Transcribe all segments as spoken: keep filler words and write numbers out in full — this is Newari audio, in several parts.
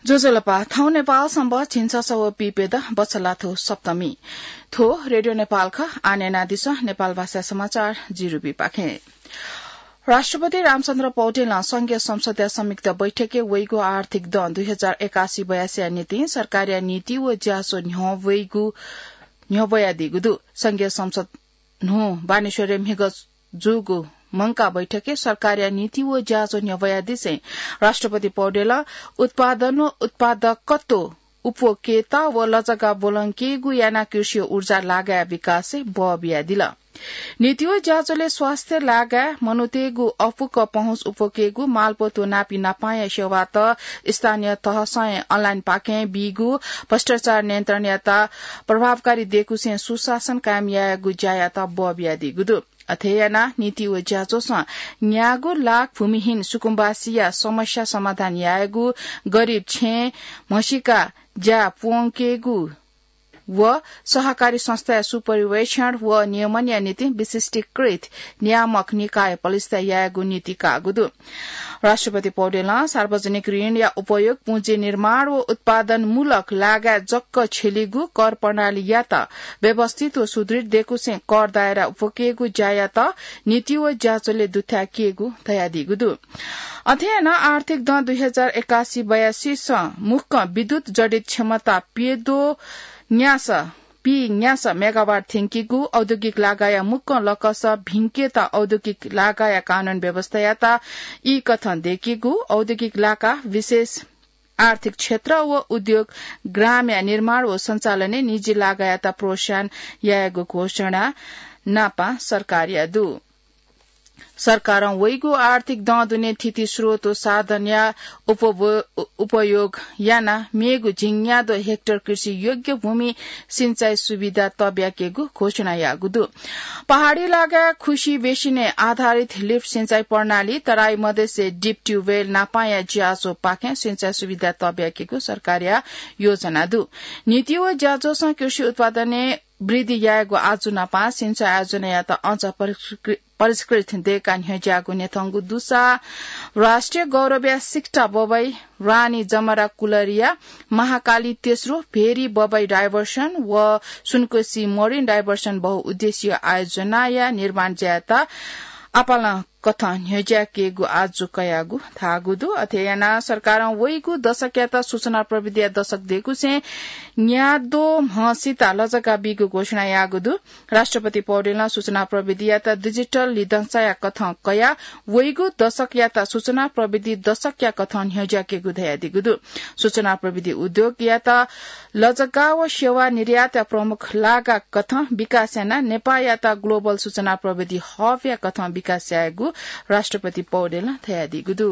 ज्वजलपा, थौं नेपाल संवत् झिंछसः व पीप्यदँ बछलाथ्व सप्तमी। थ्व रेडियो नेपाल खः। आः न्यनादिसँ नेपाल भाषा समाचार जिरुबीपाखें। राष्ट्रपति रामचन्द्र पौडेलं संघीय संसदया संयुक्त बैठकय् वइगु आर्थिक दँ दुई हजार एकासी बयासीया निंतिं सरकारया नीति व ज्याझ्वः न्ह्यः वइगु, न्ह्यब्वयादीगु दु। संघीय संसद न्हू बानेश्वरय् म्हिगः जूगु मंकाः बैठकय् सरकारया नीति व ज्याझ्वः न्ह्यब्वयादिसें राष्ट्रपति पौडेलं उत्पादन व उत्पादकत्व, उपभोक्ता व लजगाः ब्वलंकेगु यानाः कृषि व ऊर्जा लागाया विकासय् बः बियादिल। नीति व ज्याझ्वलय् स्वास्थ्य लागाय् मनूतय्गु अःपुक पहुँच, उपभोक्तातय्गु मालपोत व नापं नापांया सेवात स्थानीय तहसं online पाखें बीगु, भ्रष्टाचार नियन्त्रणयात प्रभावकारी दयेकुसें सुशासन कायम यायेगु ज्यायात बः बियादीगु दु। अथे यानाः नीति व ज्याझ्वलं न्यागू लाख भूमिहीन सुकुम्बासीया समस्या समाधान यायेगु, गरिब छेँ म्हसीका ज्या प्वंकेगु व सहकारी संस्थाया सुपर्यवेक्षण व नियमनया निंतिं विशिष्टीकृत नियामक निकाय प्रतिष्ठा यायेगु नीति काःगु दु। राष्ट्रपति पौडेलं सार्वजनिक ऋणया उपयोग पुँजी निर्माण व उत्पादनमूलक लागाय् जक छ्यलीगु कर प्रणालीयात व्यवस्थित व सुदृढ दयेकुसें कर दायरा उपकेगु ज्यायात नीति व ज्याझ्वलय् दुथ्याकेगु धयादीगु दु। अथे यानाः आर्थिक दँ दुई हजार एकासी बयासीसं मुक्कं विद्युत जडित क्षमता प्यद्वः न्यासः पीन्यासः मेगावाट थ्यंकीगु, औद्योगिक लागाया मुक्कं लकसः भिंकेत औद्योगिक लागाया कानून व्यवस्थायात ई कथं दयेकीगु, औद्योगिक लागा विशेष आर्थिक क्षेत्र व उद्योग ग्रामया निर्माण व सञ्चालनय् निजी लागायात प्रोत्साहन यायेगु घोषणा नापं सरकारया दु। सरकारं वइगु आर्थिक दँ दुने थीथी स्रोत व साधनया उपव-, उपयोग यानाः मेगु झिंन्यादँ हेक्टर कृषि योग्य भूमि सिँचाइ सुविधा तब्याकेगु घोषणा याःगु दु। पहाडी लागा खुसी बेसिनय् आधारित लिफ्ट सिँचाइ प्रणाली, तराई मधेसय् डिप ट्युबवेल नापांया ज्याझ्वःपाखें सिँचाइ सुविधा तब्याकेगु सरकारया योजना दु। नीति व ज्याझ्वलं कृषि उत्पादनय् वृद्धि यायेगु आजु नापं सिँचाइ आयोजनायात अझ परिष्कृ-, परिष्कृत दयेकाः न्ह्यज्याःगु न्ह्यथंगु दुसा राष्ट्रिय गौरवया सिक्टा बबई, रानी जमरा कुलरिया, महाकाली तेस्रो, भेरी बबई डाइभर्सन व सुनकोशी मरिन डाइभर्सन बहुउद्देश्यीय आयोजनाया निर्माण ज्यायात आपालं कथं न्ह्यज्याकेगु आजु कयागु धाःगु दु। अथे यानाः सरकारं वइगु दशकयात सूचना प्रविधिया दशक दयेकुसें न्याद्वः म्हसित लजगाः बीगु घोषणा याःगु दु। राष्ट्रपति पौडेलं सूचना प्रविधियात डिजिटल लिधंसाया कथं कयाः वइगु दशकयात सूचना प्रविधि दशकया कथं न्ह्यज्याकेगु धयादीगु दु। सूचना प्रविधि उद्योगयात लजगाः व सेवा निर्यातया प्रमुख लागा कथं विकास यानाः नेपाःयात ग्लोबल सूचना प्रविधि हबया कथं विकास यायेगु राष्ट्रपति पौडेलं धयादीगु दु।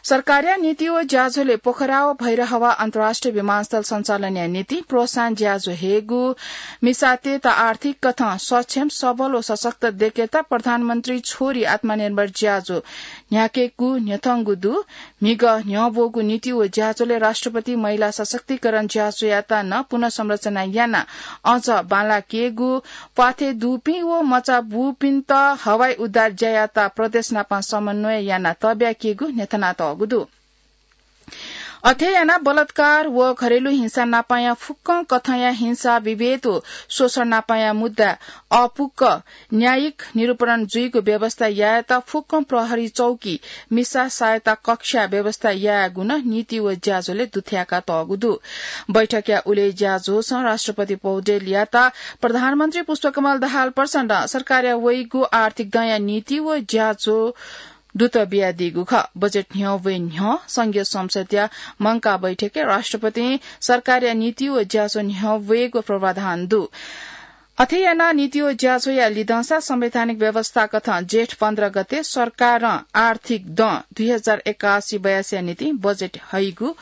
सरकारया नीति व ज्याझ्वलय् पोखरा व भैरहवा अन्तर्राष्ट्रिय विमानस्थल सञ्चालनया निंतिं प्रोत्साहन ज्याझ्वः हयेगु, मिसातय्त आर्थिक कथं सक्षम, सबल व सशक्त दयेकेत प्रधानमन्त्री छोरी आत्मनिर्भर ज्याझ्वः न्ह्याकेगु न्ह्यथंगु दु। म्हिगः न्ह्यब्वःगु नीति व ज्याझ्वलय् राष्ट्रपति महिला सशक्तिकरण ज्याझ्वःयात नं पुनर्संरचना यानाः अझ बांलाकेगु, प्वाथय् दुपिं व मचा बूपिन्त हवाई उद्धार ज्यायात प्रदेश नापं समन्वय यानाः तब्याकेगु न्ह्यथनातःगु दु। अथे यानाः बलात्कार व घरेलु हिंसा नापंया फुक्कं कथंया हिंसा, विभेद व शोषण नापंया मुद्दा अःपुक न्यायिक निरूपण जुइगु व्यवस्था यायेत फुक्कं प्रहरी चौकी, मिसा सहायता कक्षा व्यवस्था यायेगु नं नीति व ज्याझ्वलय् दुथ्याकातःगु दु। बैठकया उलय् ज्याझ्वलं राष्ट्रपति पौडेलयात प्रधानमन्त्री पुष्पकमल दाहाल प्रचण्डं सरकारया वइगु आर्थिक दँया नीति व ज्याझ्वः दुत बियादीगु खः। बजेट न्ह्यब्वये न्ह्यः संघीय संसदया मंकाः बैठकय् राष्ट्रपतिं सरकारया नीति व ज्याझ्वः न्ह्यब्वयेगु पूर्वाधान दु। अथे यानाः नीति व ज्याझ्वःया लिधंसा संवैधानिक व्यवस्था कथं जेठ पन्ध्र गते सरकारं आर्थिक दँ दुई हजार एकासी बयासीया निंतिं बजेट हइगु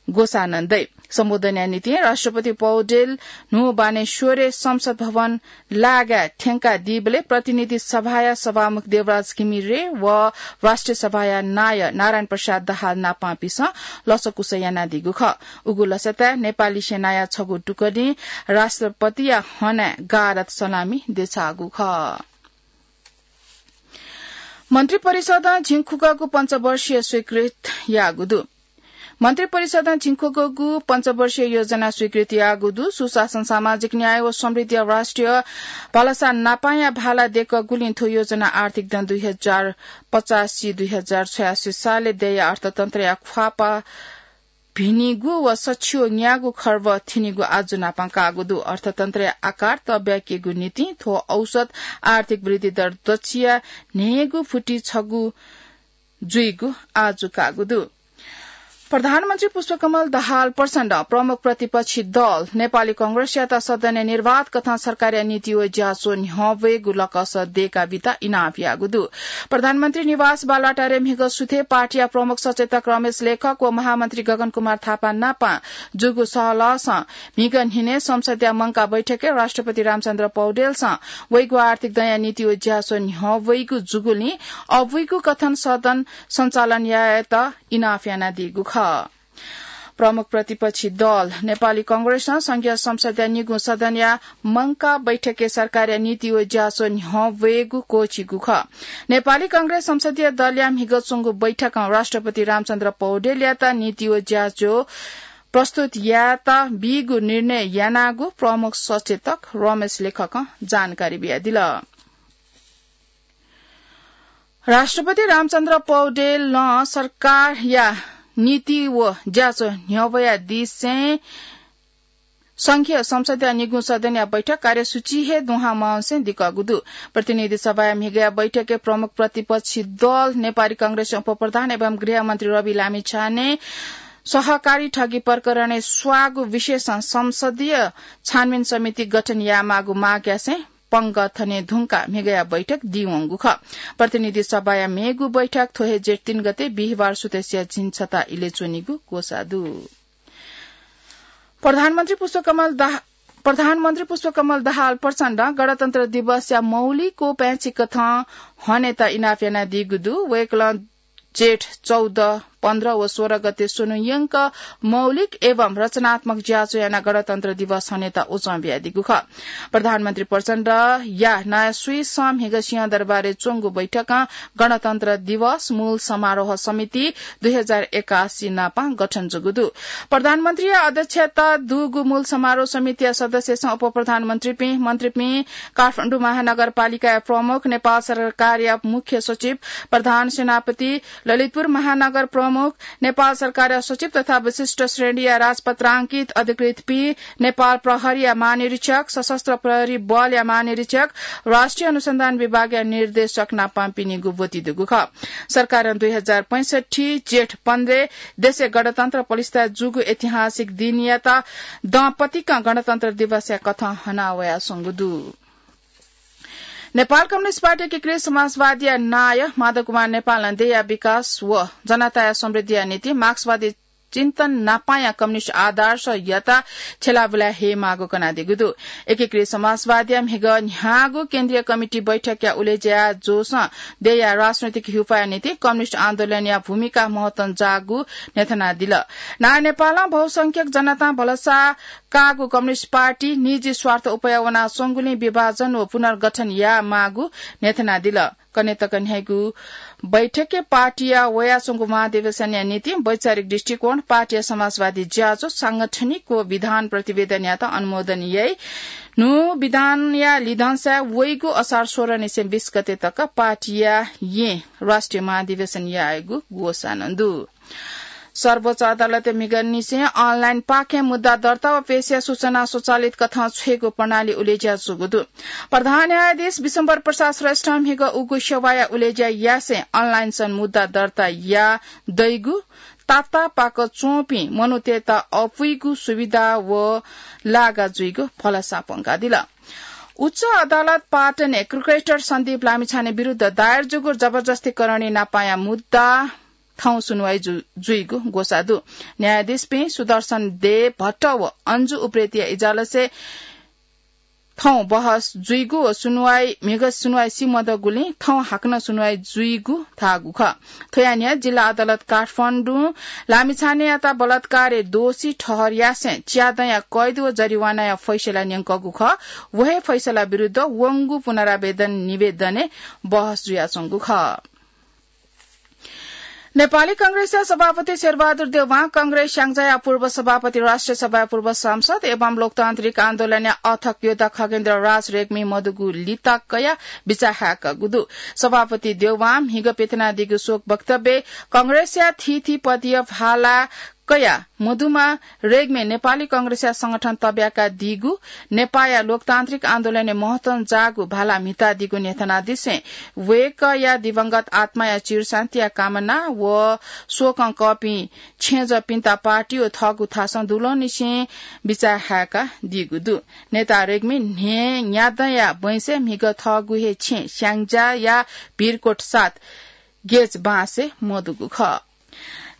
ग्वसाः नं दइ। सम्बोधनया निंतिं राष्ट्रपति पौडेल न्हू बानेश्वरय् संसद भवन लागाय् थ्यंकादीबलय् प्रतिनिधि सभाया सभामुख देवराज घिमिरे व राष्ट्रिय सभाया नायः नारायण प्रसाद दाहाल नापंपिन्सं लसकुस यानादीगु खः। उगु लसताय् नेपाली सेनाया छगू टुकडीं राष्ट्रपतिया हनाय् गारद सलामी देछाःगु खः। मन्त्रिपरिषदं झिंखुगःगु पञ्चवर्षीय स्वीकृत याःगु दु। मन्त्रिपरिषदं झिंखुगःगु पञ्चवर्षीय योजना स्वीकृति याःगु दु। सुशासन, सामाजिक न्याय व समृद्धिया राष्ट्रिय भलसा नापांया भाला दय्‌कूगुलिं थ्व योजना आर्थिक दँ दुई हजार पचासी दुई हजार छयासी सालय् दय्‌या अर्थतन्त्रया ख्वाःपाः भिनिगु व सछि व न्यागू खर्ब थिनिगु आजु नापं काःगु दु। अर्थतन्त्रया आकार तब्याकेगु निंतिं थ्व औसत आर्थिक वृद्धि दर दच्छिया न्हय्‌गू फुति छगू जुइगु आजु काःगु दु। प्रधानमन्त्री पुष्पकमल दाहाल प्रचण्डं प्रमुख प्रतिपक्षी दल नेपाली कांग्रेसयात सदनय् निर्वाध कथं सरकारया नीति व ज्याझ्वः न्ह्यः वयेगु लकस दय्‌का बीत इनाप याःगु दु। प्रधानमन्त्री निवास बालुवाटारय् म्हिगः सुथय् पार्टीया प्रमुख सचेतक रमेश लेखक व महामन्त्री गगन कुमार थापा नाप जूगु सहलहसं म्हिगः न्हिनय् संसदया मंकाः बैठकय् राष्ट्रपति रामचन्द्र पौडेलसं वइगु आर्थिक दँया नीति व ज्याझ्वः न्ह्यः वइगु जूगुलिं अबुइगु कथं सदन सञ्चालन यायेत इनाप यानादीगु खः। प्रमुख प्रतिपक्षी दल नेपाली कांग्रेसं संघीय संसदया निगू सदनया मंकाः बैठकय् सरकारया नीति व ज्याझ्वः न्ह्यः वयेगु क्वःछिइगु खः। नेपाली कांग्रेस संसदीय दलया म्हिगः च्वंगु बैठकं राष्ट्रपति रामचन्द्र पौडेलयात नीति व ज्याझ्वः प्रस्तुत यायेत बीगु निर्णय यानागु प्रमुख सचेतक रमेश लेखकं जानकारी बियादिल। राष्ट्रपति रामचन्द्र पौडेलं सरकारया नीति व ज्याझ्वः न्ह्यः वयादिसें संघीय संसदया निगू सदनया बैठक कार्यसूची हे दुहां मवंसें दिकःगु दु। प्रतिनिधि सभाया म्हिगःया बैठकय् प्रमुख प्रतिपक्षी दल नेपाली कांग्रेस उपप्रधान एवं गृहमन्त्री रवि लामिछाने सहकारी ठगी प्रकरणय् स्वाःगु विषयसं संसदीय छानबिन समिति गठन यायेमाःगु माग यासें पंगः थने धुंकाः म्हिगःया बैठक दीवंगु खः। प्रतिनिधि सभाया मेगु बैठक थ्व हे जेठ तीन गते बिहिबार सुथसिया झिंछता इलय् च्वनीगु ग्वसाः दु। प्रधानमन्त्री पुष्पकमल दाह-, प्रधानमन्त्री पुष्पकमल दाहाल प्रचण्डं गणतन्त्र दिवसया मौलिक व पाय्‌छि कथं हनेत इनाप यानादीगु दु। वय्‌कलं जेठ चौध, पन्ध्र व सोह्र गते स्वन्हु यंक मौलिक एवं रचनात्मक ज्याझ्वः यानाः गणतन्त्र दिवस हनेत उजं बियादीगु खः। प्रधानमन्त्री प्रचण्डया नायः स्वीसं म्हिगः सिंहदरबारय् च्वंगु बैठकं गणतन्त्र दिवस मूल समारोह समिति दुई हजार एकासी नापं गठन जूगु दु। प्रधानमन्त्रीया अध्यक्षता दुगु मूल समारोह समितिया सदस्यसं उपप्रधानमन्त्रीपिं, मन्त्रीपिं, काठमाडौं महानगरपालिकाया प्रमुख, नेपाल सरकारया मुख्य सचिव, प्रधान सेनापति, ललितपुर महानगर प्रमुख, नेपाल सरकारया सचिव तथा विशिष्ट श्रेणीया राजपत्रांकित अधिकृतपिं, नेपाल प्रहरीया महानिरीक्षक, सशस्त्र प्रहरी बलया महानिरीक्षक, राष्ट्रिय अनुसन्धान विभागया निर्देशक नापं पिनिगु ब्वति दुगु खः। सरकारं दुई हजार पैंसठ्ठी जेठ पन्ध्र देशय् गणतन्त्र प्रतिष्ठा जूगु ऐतिहासिक दिनयात दँ पतिकं गणतन्त्र दिवसया कथं हना वयाच्वंगु दु। नेपाल कम्युनिस्ट पार्टी एकीकृत समाजवादीया नायः माधव कुमार नेपालं देय्‌या विकास व जनताया समृद्धिया निंतिं मार्क्सवादी चिन्तन नापांया कम्युनिस्ट आदर्शयात छ्यलाबुला हयेमाःगु कनादीगु दु। एकीकृत समाजवादीया म्हिगः न्ह्याःगु केन्द्रीय कमिटी बैठकया उलेज्या जूसां देय्‌या राजनैतिक ह्युपाया निंतिं कम्युनिस्ट आन्दोलनया भूमिका महत्वं जाःगु न्ह्यथनादिल। नायः नेपालं बहुसंख्यक जनतां भलसा काःगु कम्युनिस्ट पार्टी निजी स्वार्थ उपाय वनाच्वंगुलिं विभाजन व पुनर्गठन यायेमाःगु न्ह्यथनादिल। कन्हय् तक न्ह्याइगु बैठकय् पार्टीया वयाच्वंगु महाधिवेशनया निंतिं वैचारिक दृष्टिकोण, पार्टीया समाजवादी ज्याझ्वः, सांगठनिक व विधान प्रतिवेदनयात अनुमोदन याइ। न्हू विधानया लिधंसाय् वइगु असार सोह्र निसें बीस गते तक पार्टीया येँ राष्ट्रिय महाधिवेशन यायेगु ग्वसाः नं दु। सर्वोच्च अदालतय् म्हिगः निसें अनलाइन पाखें मुद्दा दर्ता व पेशया सूचना स्वचालित कथं छ्वयेगु प्रणाली उलेज्या जूगु दु। प्रधान न्यायाधीश विश्वम्भर प्रसाद श्रेष्ठं म्हिगः उगु सेवाया उलेज्या यासें अनलाइनसं मुद्दा दर्ता याः दइगु, तातापाक च्वंपिं मनूतय्‌त अपुइगु सुविधा व लागा जुइगु भलसा प्वंकादिल। उच्च अदालत पाटनय् क्रिकेटर सन्दीप लामिछाने विरुद्ध दायर जूगु जबरजस्तीकरणया नापांया मुद्दा थौं सुनुवाइ जु-, जुइगु ग्वसाः दु। न्यायाधीशपिं सुदर्शन दे भट्ट व अन्जु उप्रेतीया इजलासय् थौं बहस जुइगु व सुनुवाइ, म्हिगः सुनुवाइ सी मदःगुलिं थौं हाकनं सुनुवाइ जुइगु धाःगु खः। थ्वया न्ह्यः जिल्ला अदालत काठमाडौं लामिछानेयात बलात्कारय् दोषी ठहर यासें च्यादँया कैद व जरिवानाया फैसला न्यंकूगु खः। व हे फैसला विरुद्ध वंगु पुनरावेदन निवेदनय् बहस जुयाच्वंगु खः। नेपाली कांग्रेसया सभापति शेरबहादुर देउवां कांग्रेस स्याङ्जाया पूर्व सभापति, राष्ट्रिय सभाया पूर्व सांसद एवं लोकतान्त्रिक आन्दोलनया अथक योद्धा खगेन्द्र राज रेग्मी मदुगु लिता कयाः बिचाः हाय्कागु दु। सभापति देउवां म्हिगः पिथनादीगु शोक वक्तव्यय् कांग्रेसया थीथी पदीय भाला कयाः मदुम्ह रेग्मी नेपाली कांग्रेसया संगठन तब्याकादीगु, नेपाःया लोकतान्त्रिक आन्दोलनय् महत्वं जाःगु भाला म्हितादीगु न्ह्यथनादिसें वय्कःया दिवंगत आत्माया चिरशान्तिया कामना व शोकं कःपिं छेँजःपिन्त पार्टी व थःगु थासं दुलंनिसें बिचाः हाय्कादीगु दु। नेता रेग्मी न्हय्न्यादँया बैंसय् म्हिगः थःगु हे छेँ स्याङ्जाया भिरकोट सात गेज बाँसय् मदुगु खः।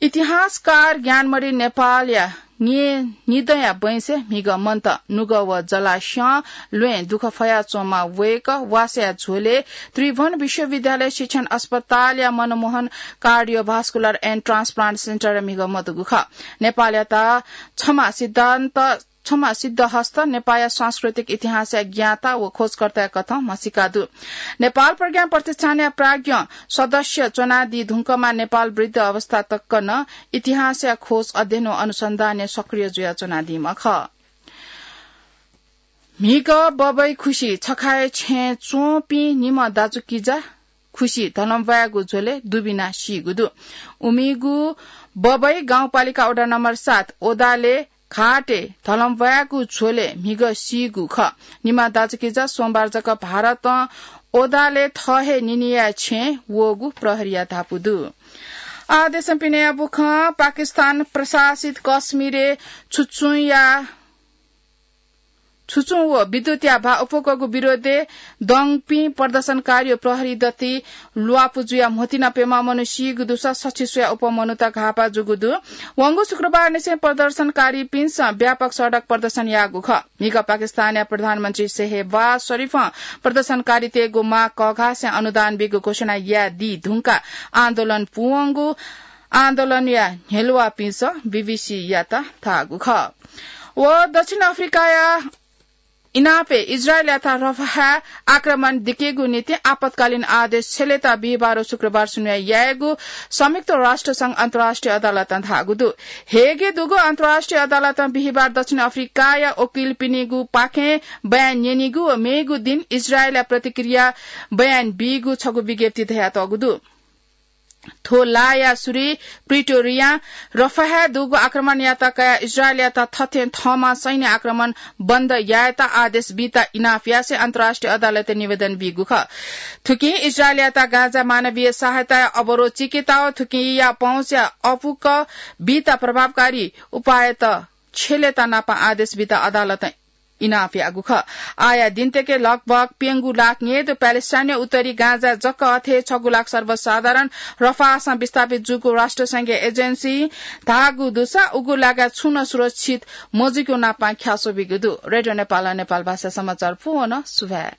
इतिहासकार ज्ञानमणि नेपालया न्हय्निदँया बैंसय् म्हिगः मन्त। नुगः व जलास्यं ल्वय् दुःख फयाच्वंम्ह वय्कः वासःया झ्वलय् त्रिभुवन विश्वविद्यालय शिक्षण अस्पतालया मनमोहन cardiovascular and transplant centre-य् म्हिगः मदुगु खः। नेपालयात छम्ह सिद्धान्त छम्ह सिद्धहस्त, नेपाःया सांस्कृतिक इतिहासया ज्ञाता व खोजकर्ताया कथं म्हसीका दु। नेपाल प्रज्ञा प्रतिष्ठानया प्राज्ञ सदस्य च्वनादी धुंकमा नेपाल वृद्ध अवस्था तक नं इतिहासया खोज, अध्ययन व अनुसन्धानय् सक्रिय जुया च्वनादीम्ह खः। म्हिगः बबैं खुसि छखाय् छेँय् च्वंपिं निम्ह दाजुकिजा खुसि धलंब्वाय्गु झ्वलय् दुबिना सीगु दु। उमिगु बबैं गाउँपालिका वडा नम्बर सात ओदाले घाटय् धलंब्वाय्गु झ्वलय् म्हिगः सीगु खः। निम्ह दाजुकिजा सोमबार जक भारतं ओदाले थः हे निनिया छेँय् वःगु प्रहरीया धापू दु। आ देशं पिनेया बुखँ। पाकिस्तान प्रशासित कश्मीरय् छुचुंया छुचुं व विद्युतया भा अप्वःकःगु विरोधय् दंपिं प्रदर्शनकारी व प्रहरी दथुइ ल्वापु जुयाः म्होतिना प्यम्ह मनू सीगु दुसा सछि स्वयाः अप्वः मनूत घाःपाः जूगु दु। वंगु शुक्रबारनिसें प्रदर्शनकारीपिन्सं व्यापक सडक प्रदर्शन याःगु खः। म्हिगः पाकिस्तानया प्रधानमन्त्री शेहबाज शरीफं प्रदर्शनकारीतय्गु माग कःघासें अनुदान बीगु घोषणा यादी धुंकाः आन्दोलन पूवंगु आन्दोलनया न्ह्यलुवापिन्सं बीबीसीयात धाःगु खः। व दक्षिण अफ्रिकाया इनापय् इजरायलयात रफाह आक्रमण दिकेगु निंतिं आपतकालीन आदेश छ्यलेत बिहिबार व शुक्रबार सुनुवाः यायेगु संयुक्त राष्ट्र संघ अन्तर्राष्ट्रिय अदालतं धाःगु दु। हेगय् दुगु अन्तर्राष्ट्रिय अदालतं बिहिबार दक्षिण अफ्रिकाया वकिलपिनिगु पाखें बयान न्यनीगु व मेगु दिं इजरायलया प्रतिक्रिया बयान बीगु छगू विज्ञप्ति धयातःगु दु। थ्व लाया सुरुइ प्रिटोरियां रफाहय् दुगु आक्रमणयात कयाः इजरायलयात थथें थःम्हं सैन्य आक्रमण बन्द यायेत आदेश बीत इनाप यासें अन्तर्राष्ट्रिय अदालतय् निवेदन बीगु खः। थुकिं इजरायलयात गाजा मानवीय सहायताया अवरोध चिकेत व थुकिया पहुँचया अपुक्क बीत प्रभावकारी उपायत छ्यलेत नापं आदेश बीत अदालतं इनाप याःगु खः। आःया दिनतय्के लगभग प्यंगू लाख न्ययेदु प्यालेस्टाइनया उत्तरी गाजा जक अथे छगू लाख सर्वसाधारण रफाहसं विस्थापित जूगु राष्ट्रसंघया एजेन्सीं धाःगु दुसा उगु लागाय् छुं नं सुरक्षित मजुइगु नापं ख्याल स्वयाबिइगु दु। रेडियो नेपालं नेपाल भाषा समाचार पूवन सुभाय्।